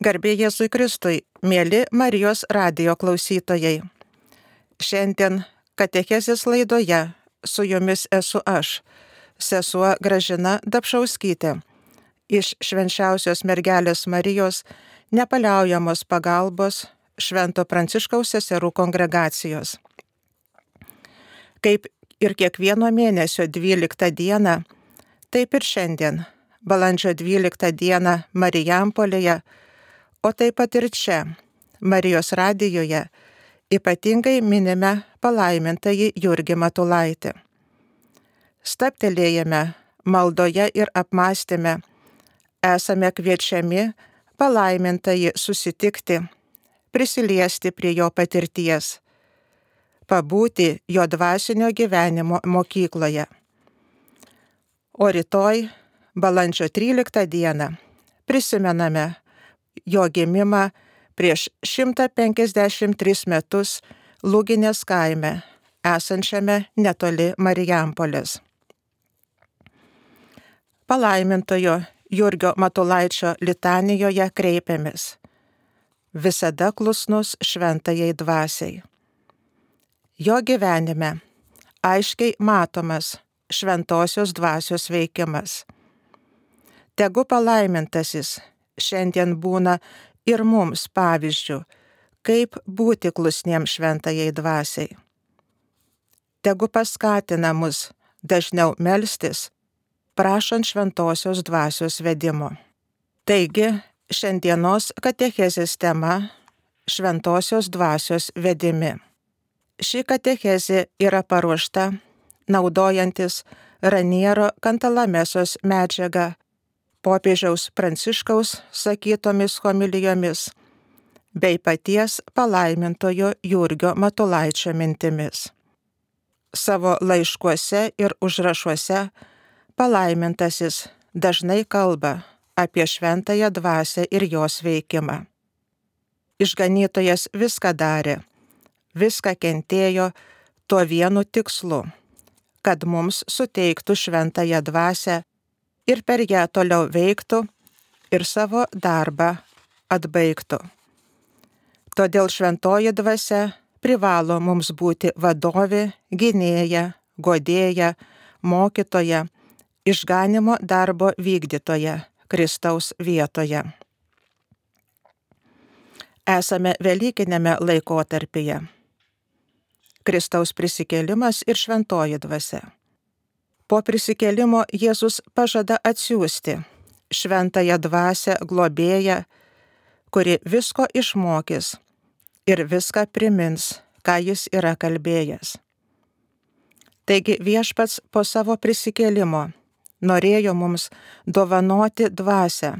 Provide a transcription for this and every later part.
Garbė Jėzui Kristui, mieli Marijos radijo klausytojai. Šiandien katechezės laidoje su jumis esu aš, sesuo Gražina Dapšauskytė, iš Švenčiausios mergelės Marijos nepaliaujamos pagalbos Švento Pranciškaus seserų kongregacijos. Kaip ir kiekvieno mėnesio 12 dieną, taip ir šiandien, balandžio 12 dieną Marijampolėje, o taip pat ir čia, Marijos radijoje, ypatingai minime palaimintąjį Jurgį Matulaitį. Stabtelėjame maldoje ir apmąstyme, esame kviečiami palaimintąjį susitikti, prisiliesti prie jo patirties, pabūti jo dvasinio gyvenimo mokykloje. O rytoj, balandžio 13 dieną, prisimename jo gimimą prieš 153 metus Lūginės kaime, esančiame netoli Marijampolės. Palaimintojo Jurgio Matulaičio litanijoje kreipiamės: visada klusnus šventajai dvasiai. Jo gyvenime aiškiai matomas šventosios dvasios veikimas. Tegu palaimintasis šiandien būna ir mums pavyzdžių, kaip būti klusniems šventajai dvasiai. Tegu paskatina mus dažniau melstis, prašant šventosios dvasios vedimo. Taigi, šiandienos katechezės tema – šventosios dvasios vedimi. Ši katechezė yra paruošta naudojantis Raniero Kantalamesos medžiagą popiežiaus Pranciškaus sakytomis homilijomis bei paties palaimintojo Jurgio Matulaičio mintimis. Savo laiškuose ir užrašuose palaimintasis dažnai kalba apie šventąją dvasią ir jos veikimą. Išganytojas viską darė, viską kentėjo tuo vienu tikslu, kad mums suteiktų šventąją dvasią ir per ją toliau veiktų ir savo darbą atbaigtų. Todėl šventoji dvasia privalo mums būti vadovė, gynėja, guodėja, mokytoja, išganymo darbo vykdytoja Kristaus vietoje. Esame velykiniame laikotarpyje. Kristaus prisikėlimas ir šventoji dvasia. Po prisikėlimo Jėzus pažada atsiųsti šventąją dvasią globėją, kuri visko išmokys ir viską primins, ką jis yra kalbėjęs. Taigi viešpats po savo prisikėlimo norėjo mums dovanoti dvasią,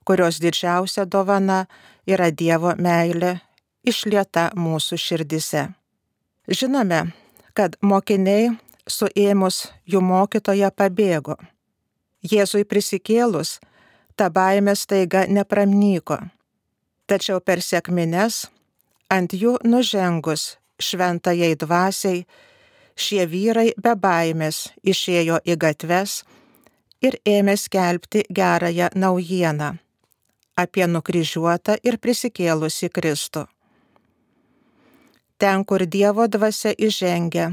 kurios didžiausia dovana yra Dievo meilė išlieta mūsų širdise. Žinome, kad mokiniai suėmus jų mokytoją pabėgo. Jėzui prisikėlus, ta baimė staiga nepramnyko. Tačiau per sekmines, ant jų nužengus šventajai dvasiai, šie vyrai be baimės išėjo į gatves ir ėmė skelbti gerąją naujieną apie nukryžiuotą ir prisikėlusį Kristų. Ten, kur Dievo dvasia įžengia,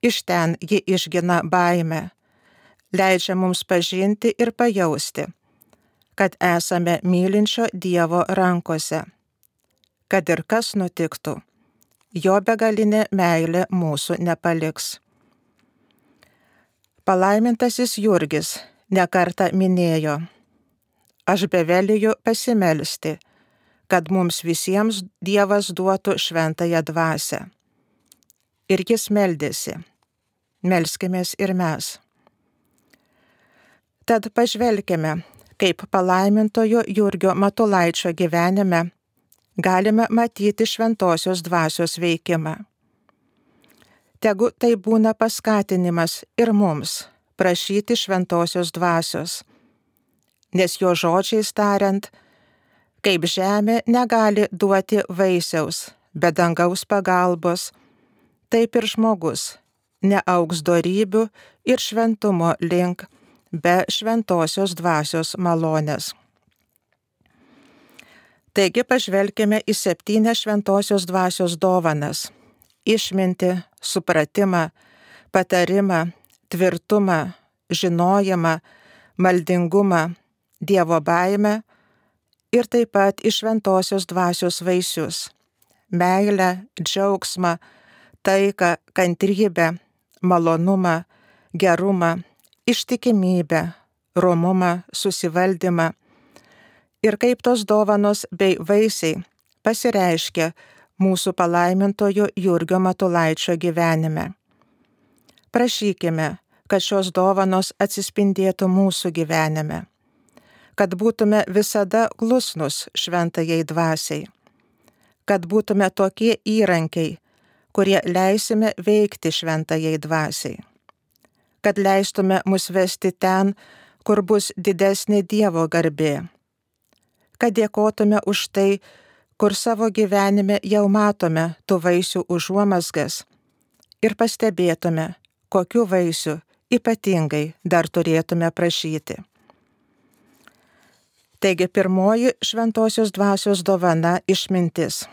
iš ten ji išgina baimę, leidžia mums pažinti ir pajausti, kad esame mylinčio Dievo rankose, kad ir kas nutiktų, jo begalinė meilė mūsų nepaliks. Palaimintasis Jurgis nekartą minėjo: aš beveliju pasimelsti, kad mums visiems Dievas duotų šventąją dvasią. Ir jis meldėsi. Melskimės ir mes. Tad pažvelkime, kaip palaimintojo Jurgio Matulaičio gyvenime galime matyti šventosios dvasios veikimą. Tegu tai būna paskatinimas ir mums prašyti šventosios dvasios, nes jo žodžiais tariant, kaip žemė negali duoti vaisiaus be dangaus pagalbos, taip ir žmogus neaugs dorybių ir šventumo link be šventosios dvasios malonės. Taigi pažvelkime į 7 šventosios dvasios dovanas – išmintį, supratimą, patarimą, tvirtumą, žinojimą, maldingumą, Dievo baimę ir taip pat į šventosios dvasios vaisius – meilę, džiaugsmą, taiką, kantrybę, malonumą, gerumą, ištikimybę, romumą, susivaldymą ir kaip tos dovanos bei vaisiai pasireiškia mūsų palaimintojo Jurgio Matulaičio gyvenime. Prašykime, kad šios dovanos atsispindėtų mūsų gyvenime, kad būtume visada klusnus šventajai dvasiai, kad būtume tokie įrankiai, kurie leisime veikti šventajai dvasiai, kad leistume mus vesti ten, kur bus didesnė Dievo garbė, kad dėkotume už tai, kur savo gyvenime jau matome tų vaisių užuomazgas ir pastebėtume, kokių vaisių ypatingai dar turėtume prašyti. Taigi pirmoji šventosios dvasios dovana – išmintis.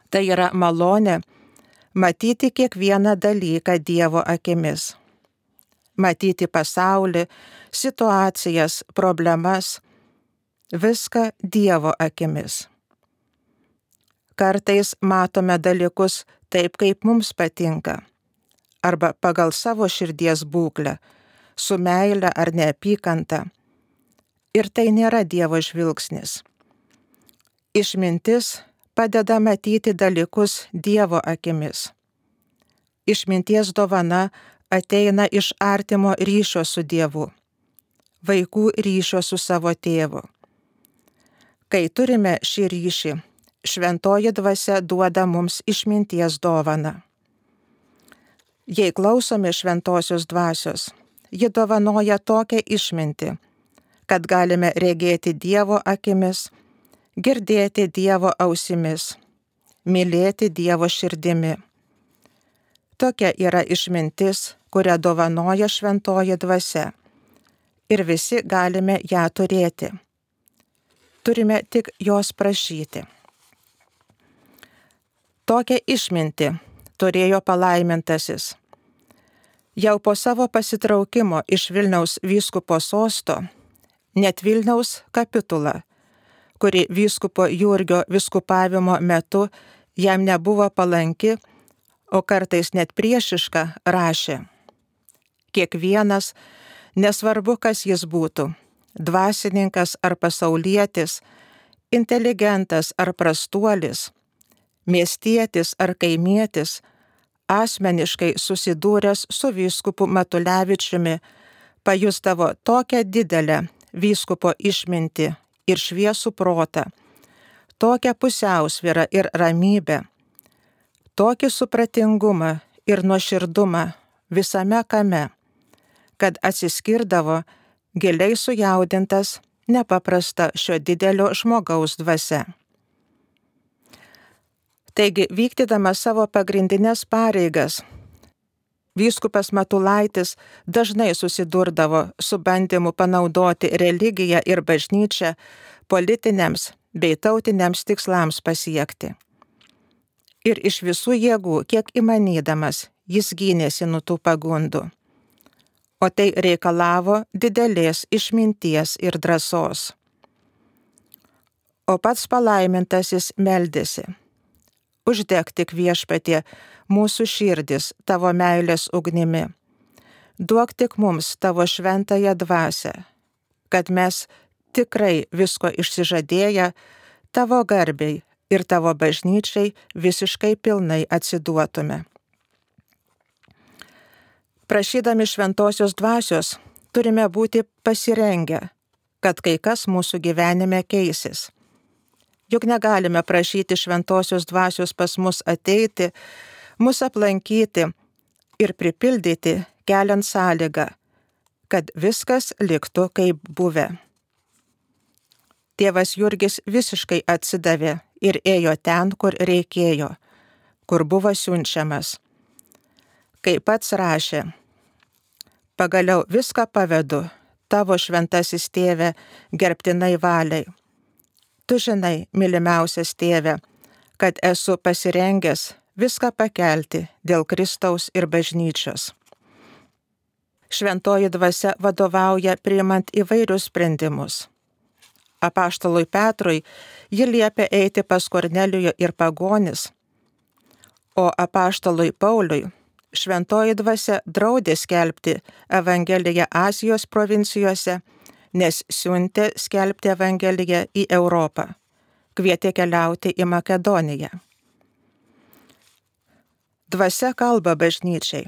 Tai yra malonė matyti kiekvieną dalyką Dievo akimis. Matyti pasaulį, situacijas, problemas, viską Dievo akimis. Kartais matome dalykus taip, kaip mums patinka, arba pagal savo širdies būklę, su meile ar neapykanta. Ir tai nėra Dievo žvilgsnis. Išmintis padeda matyti dalykus Dievo akimis. Išminties dovana ateina iš artimo ryšio su Dievu, vaikų ryšio su savo tėvu. Kai turime šį ryšį, šventoji dvasia duoda mums išminties dovaną. Jei klausome šventosios dvasios, ji dovanoja tokią išmintį, kad galime regėti Dievo akimis, girdėti Dievo ausimis, mylėti Dievo širdimi. Tokia yra išmintis, kurią dovanoja šventoji dvasia, ir visi galime ją turėti. Turime tik jos prašyti. Tokią išmintį turėjo palaimintasis. Jau po savo pasitraukimo iš Vilniaus vyskupo sosto, net Vilniaus kapitula, kuri vyskupo Jurgio vyskupavimo metu jam nebuvo palanki, o kartais net priešiška, rašė: kiekvienas, nesvarbu kas jis būtų, dvasininkas ar pasaulietis, inteligentas ar prastuolis, miestietis ar kaimietis, asmeniškai susidūręs su vyskupu Matulevičiumi, pajusdavo tokią didelę vyskupo išmintį ir šviesų protą, tokią pusiausvyrą ir ramybę, tokį supratingumą ir nuoširdumą visame kame, kad atsiskirdavo giliai sujaudintas nepaprasta šio didelio žmogaus dvasia. Taigi, vykdydamas savo pagrindinės pareigas, vyskupas Matulaitis dažnai susidurdavo su bandymu panaudoti religiją ir bažnyčią politiniams bei tautiniams tikslams pasiekti. Ir iš visų jėgų, kiek įmanydamas, jis gynėsi nuo tų pagundų. O tai reikalavo didelės išminties ir drąsos. O pats palaimintasis meldėsi: uždek tik, Viešpatie, mūsų širdis tavo meilės ugnimi. Duok tik mums tavo šventąją dvasią, kad mes tikrai visko išsižadėję tavo garbei ir tavo bažnyčiai visiškai pilnai atsiduotume. Prašydami šventosios dvasios turime būti pasirengę, kad kai kas mūsų gyvenime keisis. Juk negalime prašyti šventosios dvasios pas mus ateiti, mus aplankyti ir pripildyti, keliant sąlygą, kad viskas liktų kaip buvę. Tėvas Jurgis visiškai atsidavė ir ėjo ten, kur reikėjo, kur buvo siunčiamas. Kaip pats rašė: pagaliau viską pavedu tavo šventasis tėve gerbtinai valiai, Tu žinai, mylimiausias tėve, kad esu pasirengęs viską pakelti dėl Kristaus ir bažnyčios. Šventoji dvasia vadovauja priimant įvairius sprendimus. Apaštalui Petrui ji liepia eiti pas Kornelijų ir pagonis, o apaštalui Pauliui šventoji dvasia draudė skelbti Evangeliją Azijos provincijose, nes siuntė skelbti Evangeliją į Europą, kvietė keliauti į Makedoniją. Dvasia kalba bažnyčiai,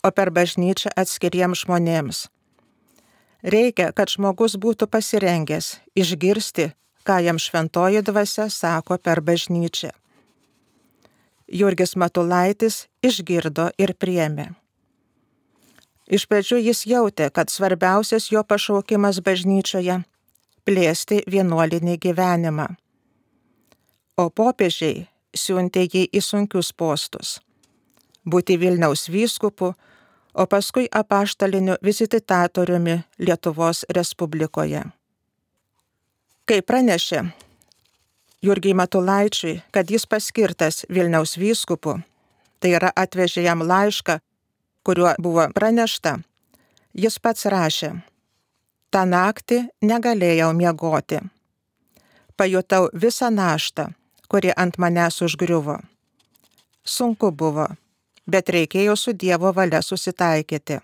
o per bažnyčią atskiriems žmonėms. Reikia, kad žmogus būtų pasirengęs išgirsti, ką jam šventoji dvasia sako per bažnyčią. Jurgis Matulaitis išgirdo ir priėmė. Iš pradžių jis jautė, kad svarbiausias jo pašaukimas bažnyčioje – plėsti vienuolinį gyvenimą. O popiežiai siuntė jį į sunkius postus – būti Vilniaus vyskupu, o paskui apaštaliniu vizitatoriumi Lietuvos Respublikoje. Kai pranešė Jurgiui Matulaičiui, kad jis paskirtas Vilniaus vyskupu, tai yra atvežė jam laišką, kuriuo buvo pranešta, jis pats rašė: "Ta naktį negalėjau miegoti. Pajutau visą naštą, kuri ant manęs užgriuvo. Sunku buvo, bet reikėjo su Dievo valia susitaikyti."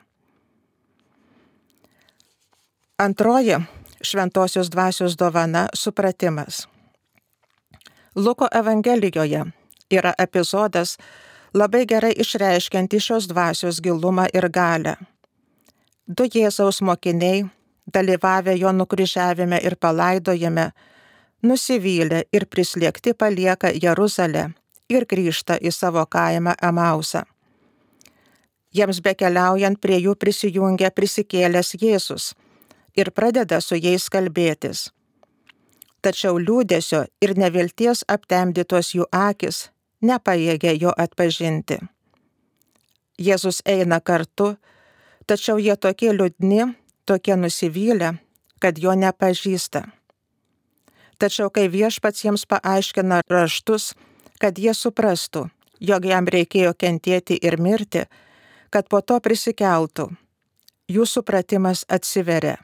Antroji šventosios dvasios dovana – supratimas. Luko Evangelijoje yra epizodas labai gerai išreiškianti šios dvasios gilumą ir galią. Du Jėzaus mokiniai, dalyvavę jo nukryžiavime ir palaidojime, nusivylę ir prislėgti palieka Jeruzalę ir grįžta į savo kaimą Emausą. Jiems bekeliaujant prie jų prisijungia prisikėlęs Jėzus ir pradeda su jais kalbėtis. Tačiau liūdesio ir nevilties aptemdytos jų akis nepajėgia jo atpažinti. Jėzus eina kartu, tačiau jie tokie liūdni, tokie nusivylę, kad jo nepažįsta. Tačiau kai viešpats jiems paaiškina raštus, kad jie suprastų, jog jam reikėjo kentėti ir mirti, kad po to prisikeltų, jų supratimas atsiveria,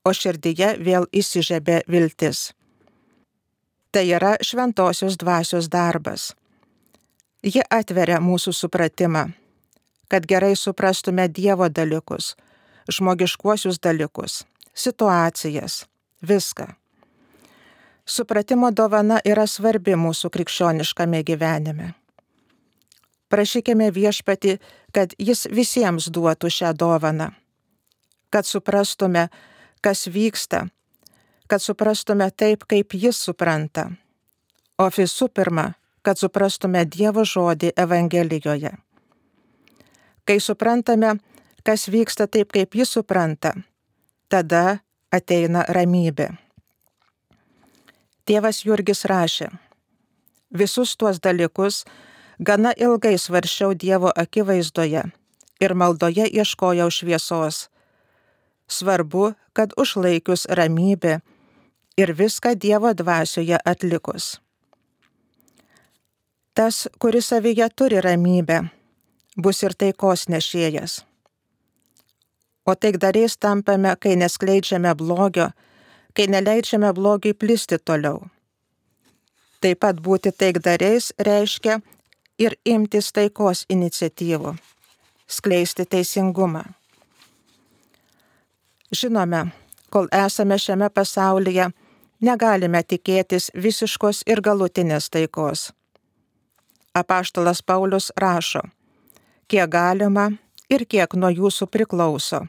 o širdyje vėl įsižiebia viltis. Tai yra šventosios dvasios darbas. Ji atveria mūsų supratimą, kad gerai suprastume Dievo dalykus, žmogiškuosius dalykus, situacijas, viską. Supratimo dovana yra svarbi mūsų krikščioniškame gyvenime. Prašykime viešpatį, kad jis visiems duotų šią dovaną, kad suprastume, kas vyksta, kad suprastume taip, kaip jis supranta, o visų pirma, kad suprastume Dievo žodį Evangelijoje. Kai suprantame, kas vyksta taip, kaip jis supranta, tada ateina ramybė. Tėvas Jurgis rašė: "Visus tuos dalykus gana ilgai svarsčiau Dievo akivaizdoje ir maldoje ieškojau šviesos. Svarbu, kad užlaikius ramybę ir viską Dievo dvasioje atlikus. Tas, kuris savyje turi ramybę, bus ir taikos nešėjas. O taikdariais tampame, kai neskleidžiame blogio, kai neleidžiame blogiui plisti toliau. Taip pat būti taikdariais reiškia ir imtis taikos iniciatyvų, skleisti teisingumą. Žinome, kol esame šiame pasaulyje, negalime tikėtis visiškos ir galutinės taikos. Apaštalas Paulius rašo: "Kiek galima ir kiek nuo jūsų priklauso,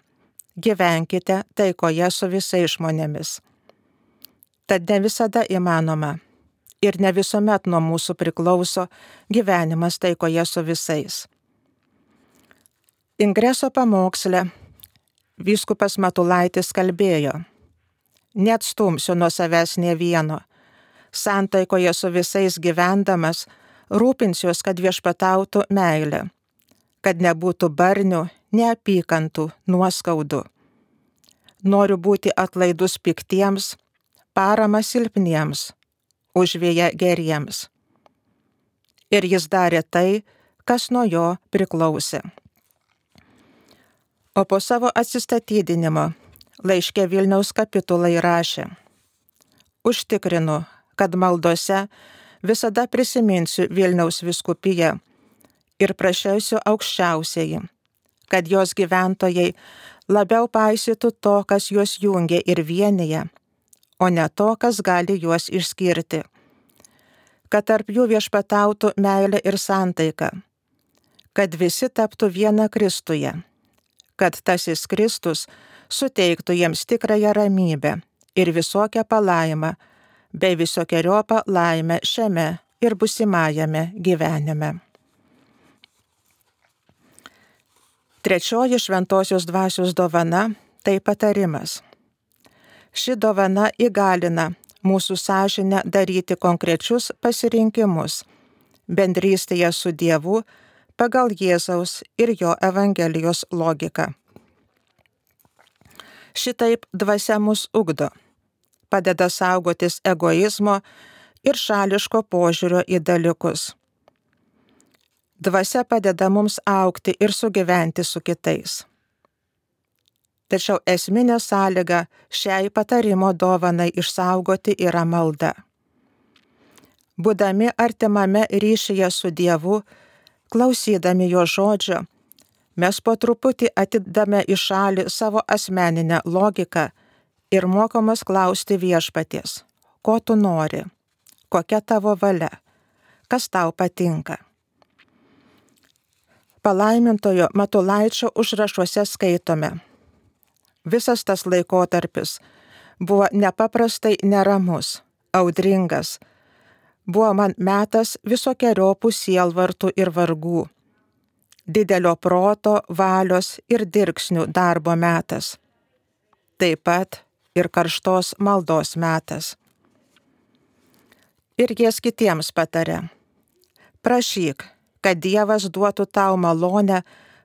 gyvenkite taikoje su visais žmonėmis." Tad ne visada įmanoma ir ne visuomet nuo mūsų priklauso gyvenimas taikoje su visais. Ingreso pamoksle vyskupas Matulaitis kalbėjo: "Neatstumsiu nuo savęs nė vieno, santaikoje su visais gyvendamas, rūpinsiuos, kad viešpatautų meilė, kad nebūtų barnių, neapykantų, nuoskaudų. Noriu būti atlaidus piktiems, paramą silpniems, užvėja geriems. Ir jis darė tai, kas nuo jo priklausė. O po savo atsistatydinimo laiške Vilniaus kapitulai rašė: užtikrinu, kad maldose visada prisiminsiu Vilniaus vyskupiją ir prašysiu aukščiausiąjį, kad jos gyventojai labiau paisytų to, kas juos jungia ir vienyje, o ne to, kas gali juos išskirti, kad tarp jų viešpatautų meilė ir santaika, kad visi taptų viena Kristuje, kad tasis Kristus suteiktų jiems tikrąją ramybę ir visokią palaimą, bei visokeriopą laimę šiame ir busimajame gyvenime. Trečioji šventosios dvasios dovana – tai patarimas. Ši dovana įgalina mūsų sąžinę daryti konkrečius pasirinkimus bendrystėje su Dievu pagal Jėzaus ir jo Evangelijos logiką. Šitaip dvasia mus ugdo, padeda saugotis egoizmo ir šališko požiūrio į dalykus. Dvasia padeda mums augti ir sugyventi su kitais. Tačiau esminė sąlyga šiai patarimo dovanai išsaugoti yra malda. Būdami artimame ryšyje su Dievu, klausydami jo žodžio, mes po truputį atidame į šalį savo asmeninę logiką ir mokomos klausti viešpaties: ko tu nori, kokia tavo valia, kas tau patinka. Palaimintojo Matulaičio užrašuose skaitome: visas tas laikotarpis buvo nepaprastai neramus, audringas, buvo man metas visokeriopų sielvartų ir vargų, didelio proto, valios ir dirksnių darbo metas, taip pat ir karštos maldos metas. Ir jis kitiems patarė: prašyk, kad Dievas duotų tau malonę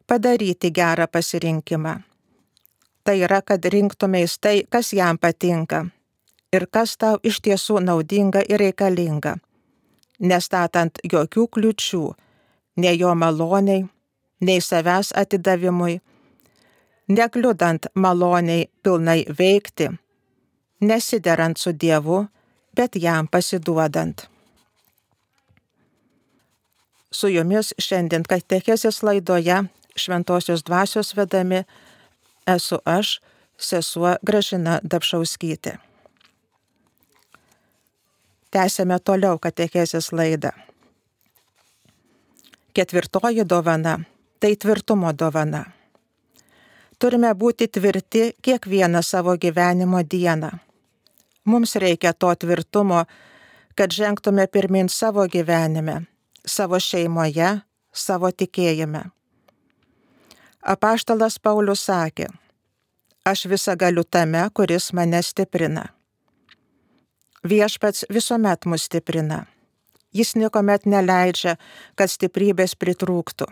padaryti gerą pasirinkimą. Tai yra, kad rinktumeis tai, kas jam patinka ir kas tau iš tiesų naudinga ir reikalinga, nestatant jokių kliučių, nei jo maloniai, nei savęs atidavimui, nekliudant maloniai pilnai veikti, nesiderant su Dievu, bet jam pasiduodant. Su jumis šiandien katechezės laidoje Šventosios dvasios vedami esu aš, sesuo Gražina Dapšauskytė. Tęsėme toliau katechezės laidą. Ketvirtoji dovana – tai tvirtumo dovana. Turime būti tvirti kiekvieną savo gyvenimo dieną. Mums reikia to tvirtumo, kad žengtume pirmin savo gyvenime, savo šeimoje, savo tikėjime. Apaštalas Paulius sakė: aš visą galiu tame, kuris mane stiprina. Viešpats visuomet mus stiprina. Jis niekuomet neleidžia, kad stiprybės pritrūktų.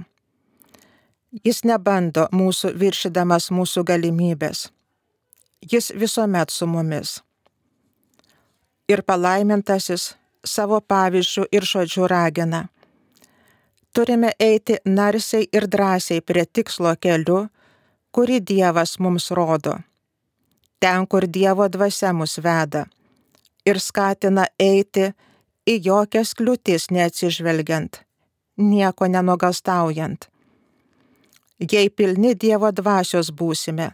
Jis nebando mūsų viršydamas mūsų galimybės. Jis visuomet su mumis. Ir palaimintasis savo pavyzdžių ir žodžių ragina: turime eiti narsiai ir drąsiai prie tikslo keliu, kurį Dievas mums rodo, ten, kur Dievo dvasia mus veda, ir skatina eiti į jokias kliūtis neatsižvelgiant, nieko nenuogąstaujant. Jei pilni Dievo dvasios būsime,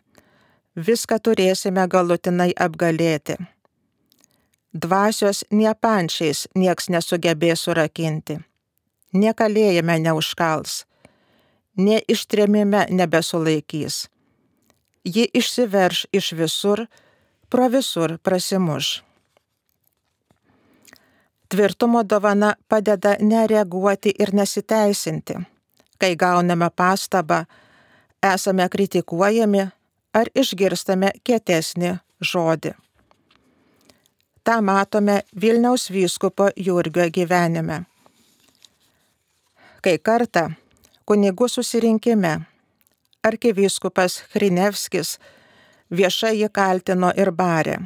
viską turėsime galutinai apgalėti. Dvasios nie pančiais nieks nesugebės surakinti, nie kalėjime neužkals, nie ištrėmime nebesulaikys. Ji išsiverš iš visur, pro visur prasimuš. Tvirtumo dovana padeda nereaguoti ir nesiteisinti, kai gauname pastabą, esame kritikuojami ar išgirstame kietesnį žodį. Ta matome Vilniaus vyskupo Jurgio gyvenime. Kai kartą kunigų susirinkime arkivyskupas Hrinevskis viešai jį kaltino ir barė: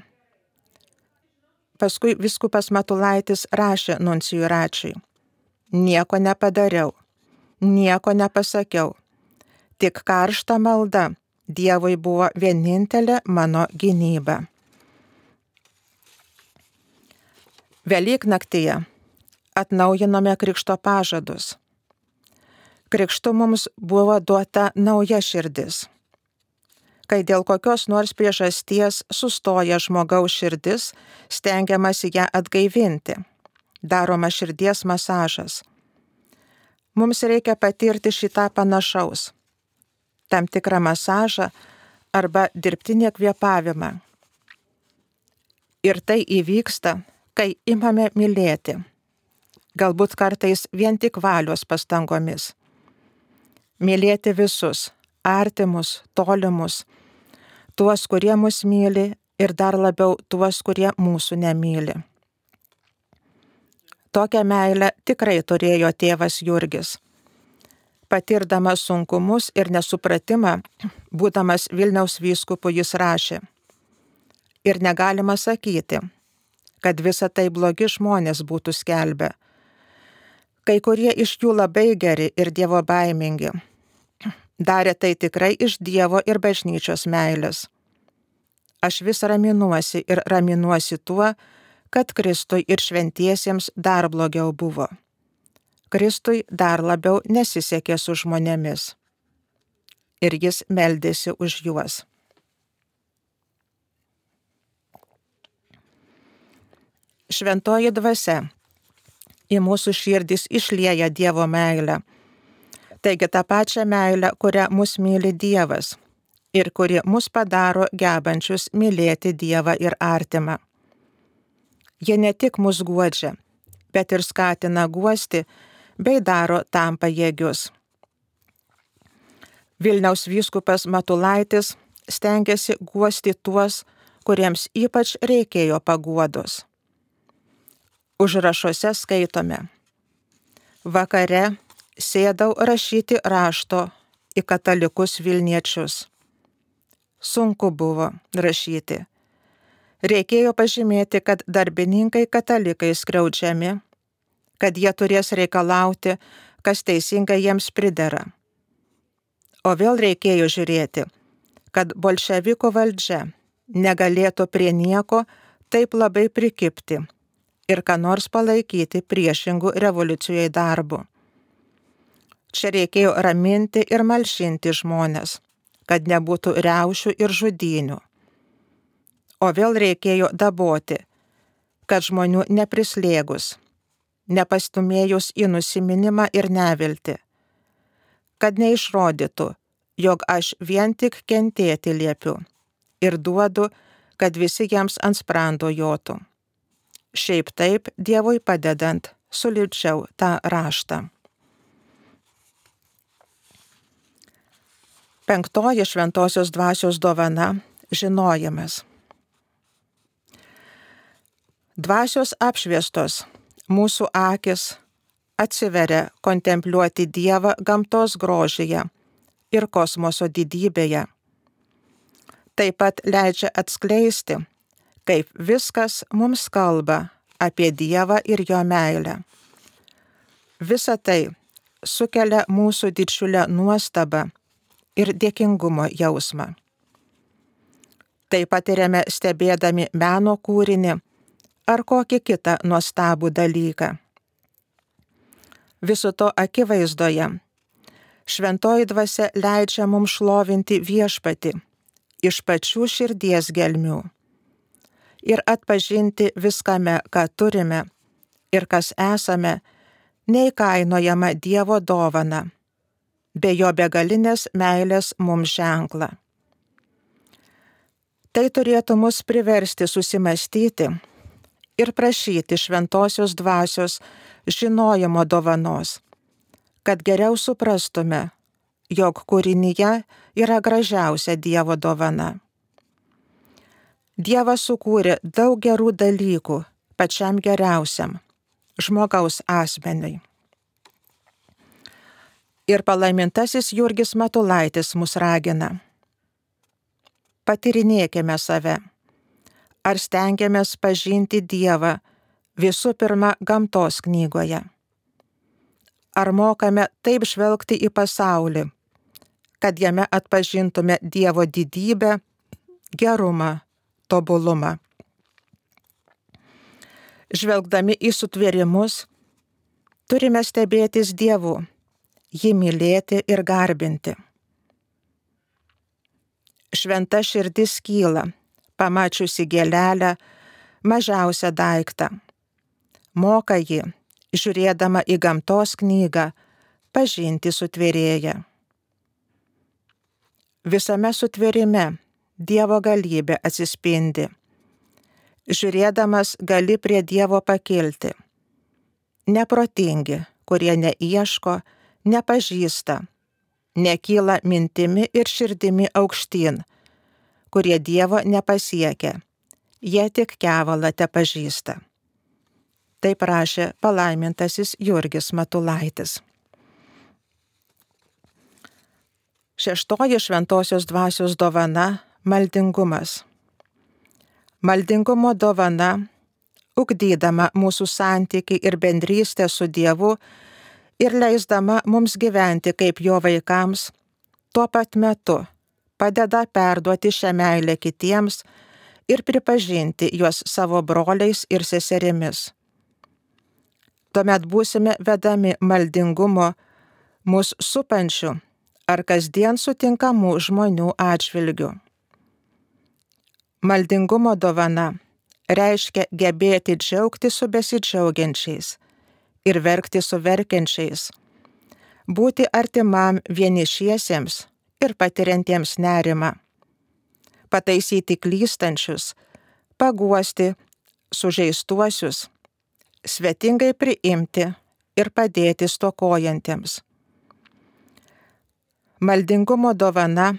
Paskui vyskupas Matulaitis rašė nuncijui Račiui: nieko nepadariau, nieko nepasakiau, tik karšta malda Dievui buvo vienintelė mano gynyba. Velyknaktyje atnaujinome krikšto pažadus. Krikštu mums buvo duota nauja širdis. Kai dėl kokios nors priežasties sustoja žmogaus širdis, stengiamasi ją atgaivinti. Daroma širdies masažas. Mums reikia patirti šitą panašaus. Tam tikrą masažą arba dirbtinį kvėpavimą. Ir tai įvyksta, kai imame mylėti. Galbūt kartais vien tik valios pastangomis. Mylėti visus, artimus, tolimus, tuos, kurie mus myli ir dar labiau tuos, kurie mūsų nemyli. Tokią meilę tikrai turėjo tėvas Jurgis. Patirdamas sunkumus ir nesupratimą, būdamas Vilniaus vyskupu, jis rašė: ir negalima sakyti, kad visa tai blogi žmonės būtų skelbę. Kai kurie iš jų labai geri ir Dievo baimingi. Darė tai tikrai iš Dievo ir bažnyčios meilės. Aš vis raminuosi ir raminuosi tuo, kad Kristui ir šventiesiems dar blogiau buvo. Kristui dar labiau nesisekė su žmonėmis. Ir jis meldėsi už juos. Šventoji dvasia į mūsų širdis išlieja Dievo meilę. Taigi tą pačią meilę, kurią mus myli Dievas ir kuri mus padaro gebančius mylėti Dievą ir artimą. Jie ne tik mus guodžia, bet ir skatina guosti bei daro tam pajėgius. Vilniaus vyskupas Matulaitis stengiasi guosti tuos, kuriems ypač reikėjo paguodos. Užrašuose skaitome: vakare sėdau rašyti rašto į katalikus Vilniečius. Sunku buvo rašyti. Reikėjo pažymėti, kad darbininkai katalikai skriaudžiami, kad jie turės reikalauti, kas teisingai jiems pridera. O vėl reikėjo žiūrėti, kad bolševikų valdžia negalėtų prie nieko taip labai prikibti ir ką nors palaikyti priešingų revoliucijai darbu. Čia reikėjo raminti ir malšinti žmones, kad nebūtų riaušių ir žudynių. O vėl reikėjo daboti, kad žmonių neprislėgus, nepastumėjus į nusiminimą ir neviltį, kad neišrodytų, jog aš vien tik kentėti liepiu ir duodu, kad visi jiems ant sprando jotų. Šiaip taip, Dievui padedant, sulipdžiau tą raštą. 5. šventosios dvasios dovana – žinojimas. Dvasios apšviestos mūsų akis atsiveria kontempliuoti Dievą gamtos grožyje ir kosmoso didybėje. Taip pat leidžia atskleisti, kaip viskas mums kalba apie Dievą ir jo meilę. Visa tai sukelia mūsų didžiulę nuostabą ir dėkingumo jausmą. Tai patiriame stebėdami meno kūrinį ar kokį kitą nuostabų dalyką. Viso to akivaizdoje šventoji dvasia leidžia mums šlovinti Viešpatį iš pačių širdies gelmių ir atpažinti viskame, ką turime ir kas esame, neįkainojama Dievo dovana, be jo begalinės meilės mums ženklą. Tai turėtų mus priversti susimastyti ir prašyti šventosios dvasios žinojimo dovanos, kad geriau suprastume, jog kūrinyje yra gražiausia Dievo dovana. Dievas sukūrė daug gerų dalykų pačiam geriausiam – žmogaus asmeniui. Ir palaimintasis Jurgis Matulaitis mus ragina: patyrinėkime save, Ar stengiamės pažinti Dievą visų pirma gamtos knygoje? Ar mokame taip žvelgti į pasaulį, kad jame atpažintume Dievo didybę, gerumą, tobulumą? Žvelgdami į sutvėrimus, turime stebėtis Dievu, jį mylėti ir garbinti. Šventa širdis kyla, pamačiusi gėlelę, mažiausią daiktą. Moka ji, žiūrėdama į gamtos knygą, pažinti sutvėrėją. Visame sutvėrime Dievo galybė atsispindi. Žiūrėdamas gali prie Dievo pakilti. Neprotingi, kurie neieško, nepažįsta, nekyla mintimi ir širdimi aukštyn, kurie Dievo nepasiekia, jie tik kevalą tepažįsta. Taip rašė palaimintasis Jurgis Matulaitis. Šeštoji šventosios dvasios dovana – maldingumas. Maldingumo dovana, ugdydama mūsų santykį ir bendrystę su Dievu ir leisdama mums gyventi kaip jo vaikams, tuo pat metu padeda perduoti šią meilę kitiems ir pripažinti juos savo broliais ir seserimis. Tuomet būsime vedami maldingumo mus supančių ar kasdien sutinkamų žmonių atžvilgių. Maldingumo dovana reiškia gebėti džiaugti su besidžiaugiančiais ir verkti su verkiančiais, būti artimam vienišiesiems ir patiriantiems nerimą, pataisyti klystančius, paguosti sužeistuosius, svetingai priimti ir padėti stokojantiems. Maldingumo dovana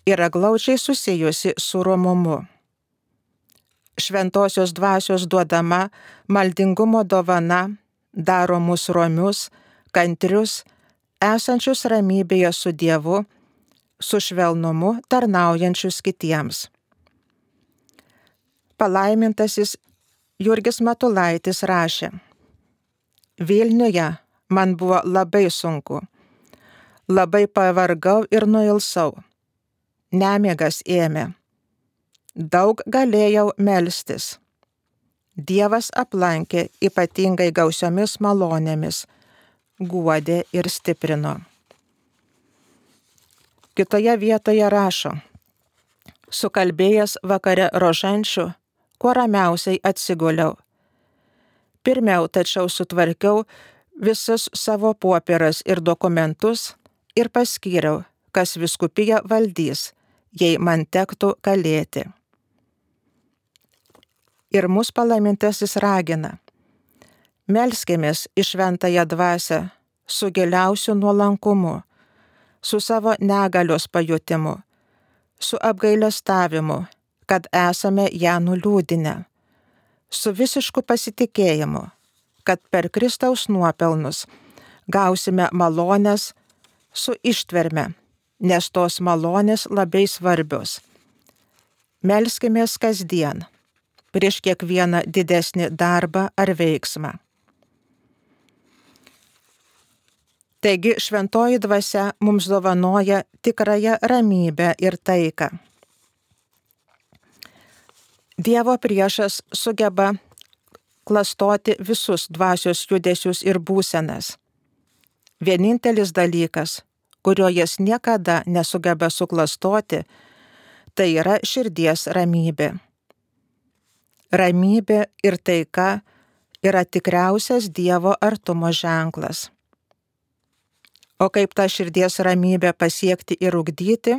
yra glaudžiai susijusi su romumu. Šventosios dvasios duodama maldingumo dovana daro mus romius, kantrius, esančius ramybėje su Dievu, su švelnumu tarnaujančius kitiems. Palaimintasis Jurgis Matulaitis rašė: Vilniuje man buvo labai sunku, labai pavargau ir nuilsau, nemiegas ėmė. Daug galėjau melstis. Dievas aplankė ypatingai gausiomis malonėmis, guodė ir stiprino. Kitoje vietoje rašo: Sukalbėjęs vakare rožančių, kuo ramiausiai atsiguliau. Pirmiau tačiau sutvarkiau visus savo popieras ir dokumentus ir paskyriau, kas vyskupiją valdys, jei man tektų kalėti. Ir mus palaimintasis ragina: melskimės į šventąją dvasią su giliausiu nuolankumu, su savo negalios pajutimu, su apgailestavimu, kad esame ją nuliūdinę, su visišku pasitikėjimu, kad per Kristaus nuopelnus gausime malonės, su ištverme, nes tos malonės labai svarbios. Melskimės kasdien, prieš kiekvieną didesnį darbą ar veiksmą. Taigi šventoji dvasia mums dovanoja tikrąją ramybę ir taiką. Dievo priešas sugeba klastoti visus dvasios judesius ir būsenas. Vienintelis dalykas, kurio jis niekada nesugeba suklastoti, tai yra širdies ramybė. Ramybė ir taika yra tikriausias Dievo artumo ženklas. O kaip tą širdies ramybę pasiekti ir ugdyti?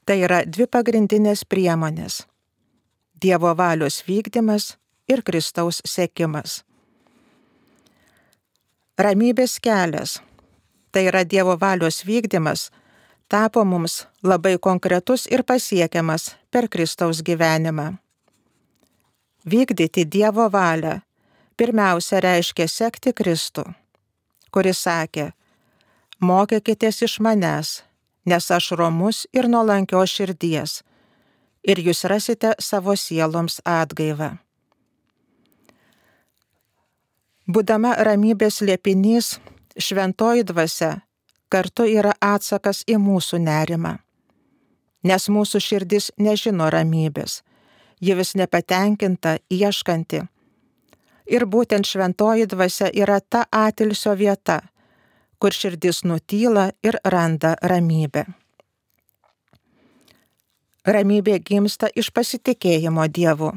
Tai yra dvi pagrindinės priemonės – Dievo valios vykdymas ir Kristaus sekimas. Ramybės kelias, tai yra Dievo valios vykdymas, tapo mums labai konkretus ir pasiekiamas per Kristaus gyvenimą. Vykdyti Dievo valią pirmiausia reiškia sekti Kristų, kuris sakė: mokykitės iš manęs, nes aš romus ir nuolankios širdies, ir jūs rasite savo sieloms atgaivą. Būdama ramybės slėpinys, šventoji dvasia kartu yra atsakas į mūsų nerimą. Nes mūsų širdis nežino ramybės, ji vis nepatenkinta, ieškanti. Ir būtent šventoji dvasia yra ta atilsio vieta, kur širdis nutyla ir randa ramybę. Ramybė gimsta iš pasitikėjimo Dievu.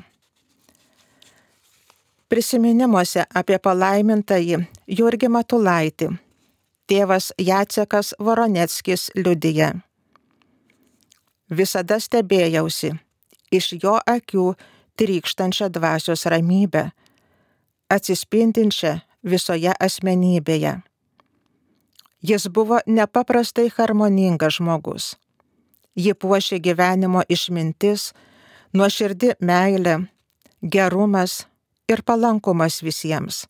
Prisiminimuose apie palaimintąjį Jurgį Matulaitį tėvas Jacekas Voroneckis liudija: visada stebėjausi iš jo akių trykštančią dvasios ramybę, atsispindinčią visoje asmenybėje. Jis buvo nepaprastai harmoningas žmogus. Jį puošė gyvenimo išmintis, nuoširdi meilė, gerumas ir palankumas visiems.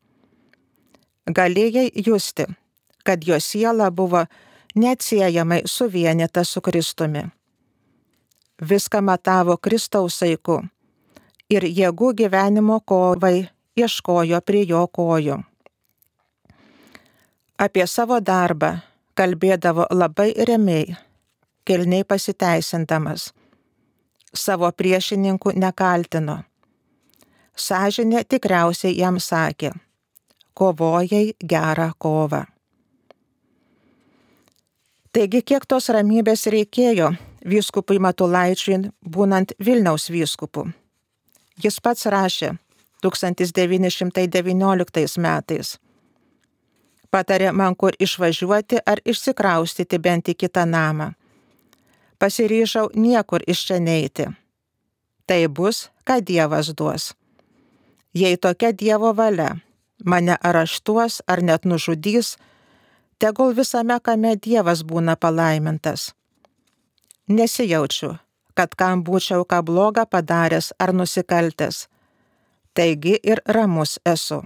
Galėjai justi, kad jo siela buvo neatsiejamai suvienyta su Kristumi. Viską matavo Kristaus saiku ir jėgų gyvenimo kovai ieškojo prie jo kojų. Apie savo darbą kalbėdavo labai ramiai, kilniai pasiteisindamas. Savo priešininkų nekaltino. Sąžinė tikriausiai jam sakė: kovojai gerą kovą. Taigi, kiek tos ramybės reikėjo vyskupui Matulaičiui, būnant Vilniaus vyskupu? Jis pats rašė 1919 metais: patarė man kur išvažiuoti ar išsikraustyti bent į kitą namą. Pasiryžau niekur iš čia neiti. Tai bus, ką Dievas duos. Jei tokia Dievo valia, mane areštuos ar net nužudys, tegul visame kame Dievas būna palaimintas. Nesijaučiu, kad kam būčiau ką blogą padaręs ar nusikaltęs. Taigi ir ramus esu.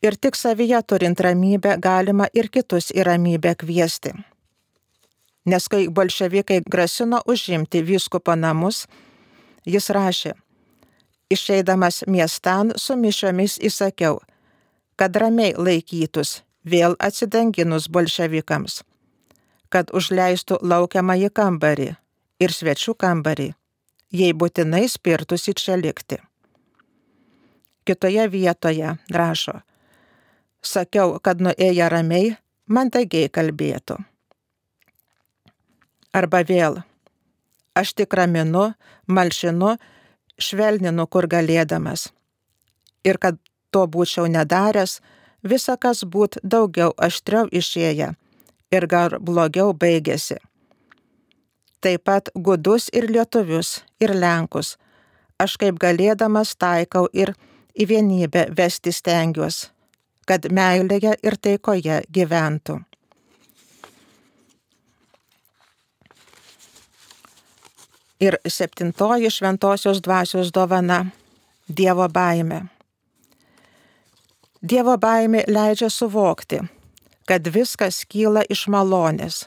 Ir tik savyje turint ramybę galima ir kitus į ramybę kviesti. Nes kai bolševikai grasino užimti vyskupo namus, jis rašė: išeidamas miestan su mišiomis įsakiau, kad ramiai laikytus, vėl atsidanginus bolševikams, kad užleistų laukiamąjį kambarį ir svečių kambarį, jei būtinai spirtųsi čia likti. Kitoje vietoje rašo: sakiau, kad nuėję ramiai, mandagiai kalbėtų. Arba vėl: aš tik raminu, malšinu, švelninu kur galėdamas. Ir kad to būčiau nedaręs, visa kas būt daugiau aštriau išėję ir gar blogiau baigėsi. Taip pat gudus ir lietuvius, ir lenkus, aš kaip galėdamas taikau ir į vienybę vesti stengiuos, kad meilėje ir taikoje gyventų. Ir 7. šventosios dvasios dovana – Dievo baimė. Dievo baimė leidžia suvokti, kad viskas kyla iš malonės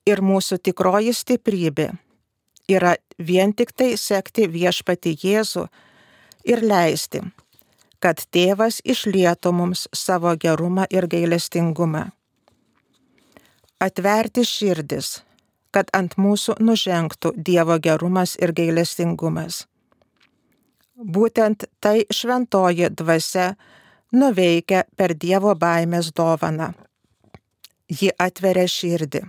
ir mūsų tikroji stiprybė yra vien tik tai sekti viešpatį Jėzų ir leisti, kad Tėvas išlietų mums savo gerumą ir gailestingumą. Atverti širdis, kad ant mūsų nužengtų Dievo gerumas ir gailestingumas. Būtent tai šventoji dvasia nuveikia per Dievo baimės dovaną. Ji atveria širdį.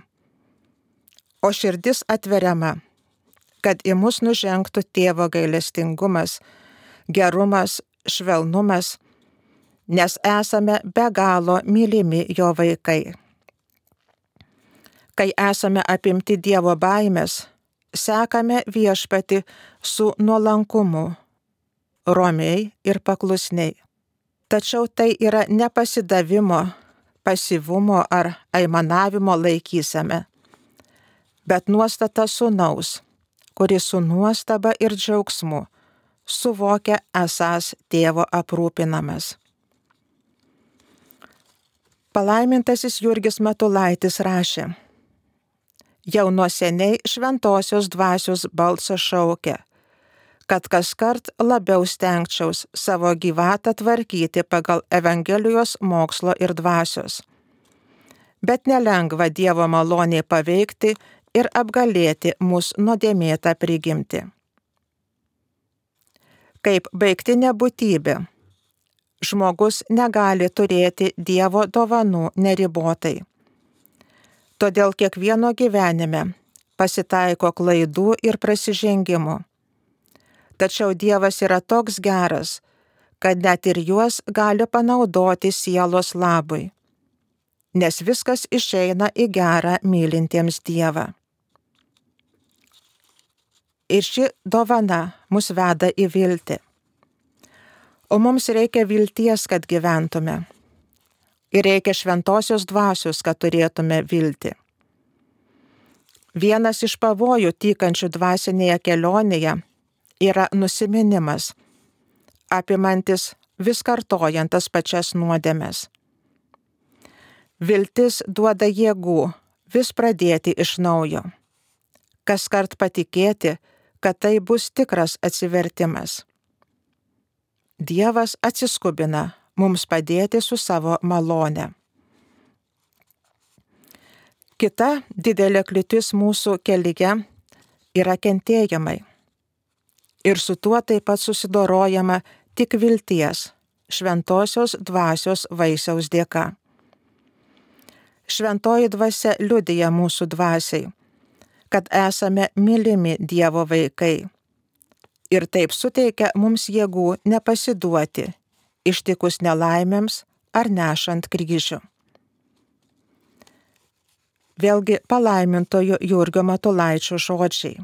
O širdis atveriama, kad į mus nužengtų Tėvo gailestingumas, gerumas, švelnumas, nes esame be galo mylimi jo vaikai. Kai esame apimti Dievo baimės, sekame viešpatį su nuolankumu, romiai ir paklusniai. Tačiau tai yra ne pasidavimo, pasyvumo ar aimanavimo laikysena, bet nuostata sūnaus, kuris su nuostaba ir džiaugsmu suvokia esąs Tėvo aprūpinamas. Palaimintasis Jurgis Matulaitis rašė: Jau nuo seniai šventosios dvasios balsas šaukia, kad kaskart labiau stengčiaus savo gyvatą tvarkyti pagal Evangelijos mokslo ir dvasios. Bet nelengva Dievo maloniai paveikti ir apgalėti mūsų nuodėmėtą prigimtį. Kaip baigtinė būtybė, žmogus negali turėti Dievo dovanų neribotai. Todėl kiekvieno gyvenime pasitaiko klaidų ir prasižengimų. Tačiau Dievas yra toks geras, kad net ir juos gali panaudoti sielos labui, nes viskas išeina į gerą mylintiems Dievą. Ir ši dovana mus veda į viltį. O mums reikia vilties, kad gyventume. Ir reikia šventosios dvasios, kad turėtume viltį. Vienas iš pavojų tykančių dvasinėje kelionėje yra nusiminimas, apimantis vis kartojant tas pačias nuodėmes. Viltis duoda jėgų vis pradėti iš naujo, kaskart patikėti, kad tai bus tikras atsivertimas. Dievas atsiskubina mums padėti su savo malone. Kita didelė kliūtis mūsų kelyje yra kentėjimai. Ir su tuo taip pat susidorojama tik vilties, šventosios dvasios vaisiaus dėka. Šventoji dvasia liudija mūsų dvasiai, kad esame mylimi Dievo vaikai. Ir taip suteikia mums jėgų nepasiduoti, ištikus nelaimėms ar nešant kryžių. Vėlgi palaimintojo Jurgio Matulaičio žodžiai.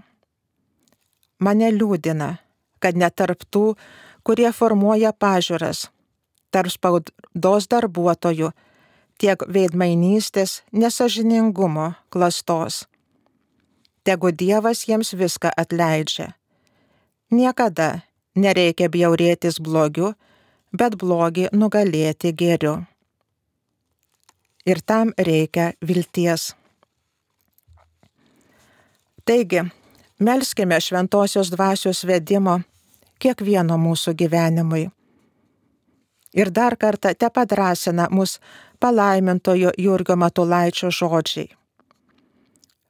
Mane liūdina, kad net tarp tų, kurie formuoja pažiūras, tarp spaudos darbuotojų, tiek veidmainystės, nesąžiningumo, klastos. Tegu Dievas jiems viską atleidžia. Niekada nereikia bjaurėtis blogiu, bet blogį nugalėti gėriu. Ir tam reikia vilties. Taigi, melskime šventosios dvasios vedimo kiekvieno mūsų gyvenimui. Ir dar kartą tepadrasina mus palaimintojo Jurgio Matulaičio žodžiai.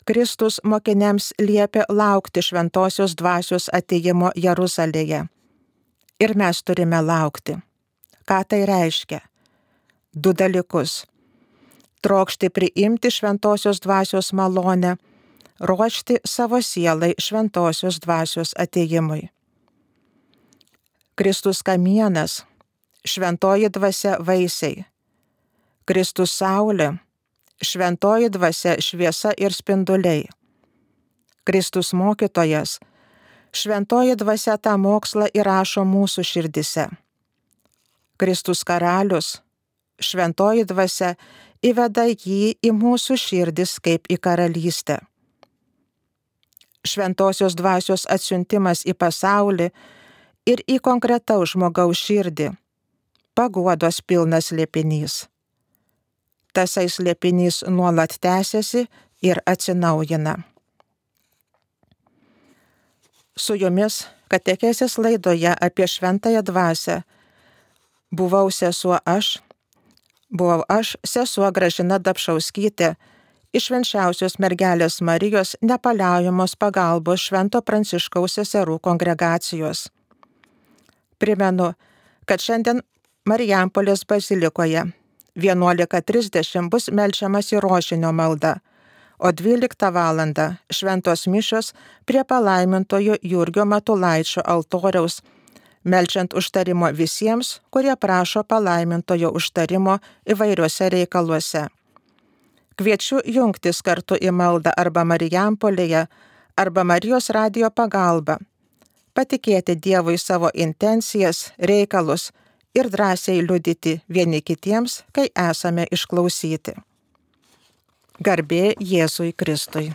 Kristus mokiniams liepė laukti šventosios dvasios atėjimo Jeruzalėje. Ir mes turime laukti. Ką tai reiškia? 2 dalykus. Trokšti priimti šventosios dvasios malonę, ruošti savo sielai šventosios dvasios atėjimui. Kristus kamienas, šventoji dvasia vaisiai. Kristus saulė, šventoji dvasia šviesa ir spinduliai. Kristus mokytojas, šventoji dvasia tą mokslą įrašo mūsų širdise. Kristus karalius, šventoji dvasia įveda jį į mūsų širdis kaip į karalystę. Šventosios dvasios atsiuntimas į pasaulį ir į konkretaus žmogaus širdį, paguodos pilnas slėpinys. Tasai slėpinys nuolat tęsiasi ir atsinaujina. Su jumis katechezės laidoje apie šventąją dvasią buvau aš, sesuo Gražina Dapšauskytė, iš Švenčiausios Mergelės Marijos nepaliaujamos pagalbos Švento Pranciškaus seserų kongregacijos. Primenu, kad šiandien Marijampolės bazilikoje 11:30 bus melčiamas į rožinio maldą, o 12 valandą šventos mišios prie palaimintojo Jurgio Matulaičio altoriaus, melčiant užtarimo visiems, kurie prašo palaimintojo užtarimo įvairiuose reikaluose. Kviečiu jungtis kartu į maldą arba Marijampolėje, arba Marijos radijo pagalba, patikėti Dievui savo intencijas, reikalus ir drąsiai liudyti vieni kitiems, kai esame išklausyti. Garbė Jėzui Kristui.